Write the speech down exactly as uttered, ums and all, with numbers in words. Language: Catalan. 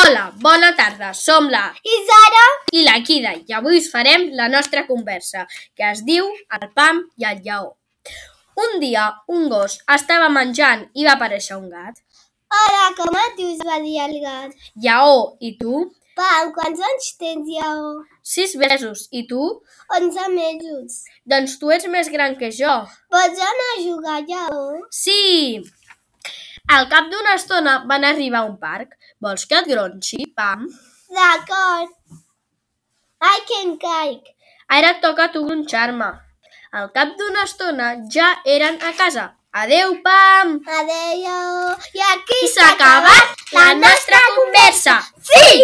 Hola, bona tarda, som la Isara i la Kida i avui us farem la nostra conversa, que es diu El Pam i el Lleó. Un dia un gos estava menjant i va aparèixer un gat. Hola, com et dius? Va dir el gat. Lleó, i tu? Pam, quants anys tens, Lleó? Sis mesos, i tu? Onze mesos. Doncs tu ets més gran que jo. Pots anar a jugar, Lleó? Sí! Al cap d'una estona van arribar a un parc. Vols que et gronxi, Pam? D'acord. Ai, que em caic. Ara et toca a tu gronxar-me. Al cap d'una estona ja eren a casa. Adeu, Pam! Adéu, Lleó. I aquí I s'ha acabat la nostra conversa. Sí!